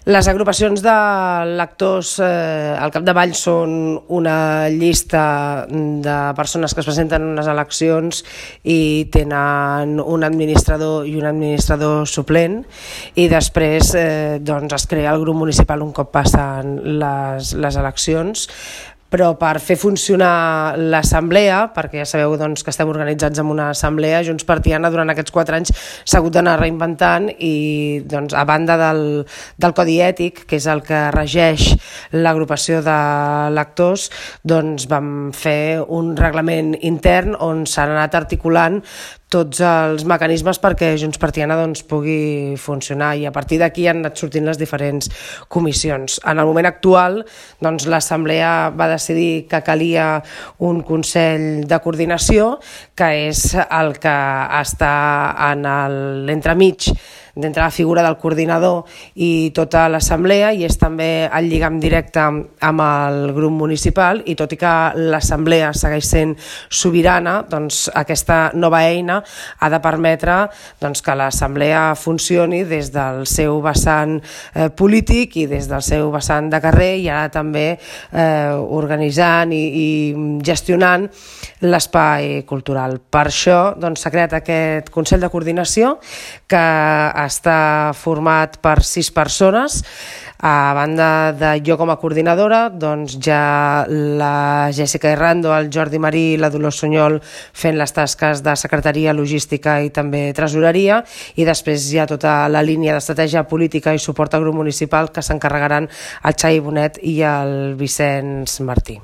Les agrupacions de lectors al capdavall són una llista de persones que es presenten en unes eleccions i tenen un administrador i un administrador suplent, i després es crea el grup municipal un cop passen les eleccions. Però per fer funcionar l'assemblea, perquè ja sabeu que estem organitzats en una assemblea, Junts per Tiana durant aquests 4 anys s'ha hagut d'anar reinventant i a banda del codi ètic, que és el que regeix l'agrupació de lectors, vam fer un reglament intern on s'han anat articulant tots els mecanismes perquè Junts per Tiana pugui funcionar, i a partir d'aquí han anat sortint les diferents comissions. En el moment actual l'Assemblea va decidir que calia un Consell de Coordinació, que és el que està en l'entremig d'entre la figura del coordinador i tota l'assemblea, i és també el lligam directe amb el grup municipal, i tot i que l'assemblea segueix sent sobirana, aquesta nova eina ha de permetre que l'assemblea funcioni des del seu vessant polític i des del seu vessant de carrer, i ara també organitzant i gestionant l'espai cultural. Per això s'ha creat aquest Consell de Coordinació, que està format per 6 persones. A banda de jo com a coordinadora, ja la Jessica Herrando, el Jordi Marí i la Dolors Sunyol fent les tasques de secretaria, logística i també tresoreria, i després hi ha tota la línia d'estratègia política i suport al grup municipal, que s'encarregaran el Xavi Bonet i el Vicenç Martí.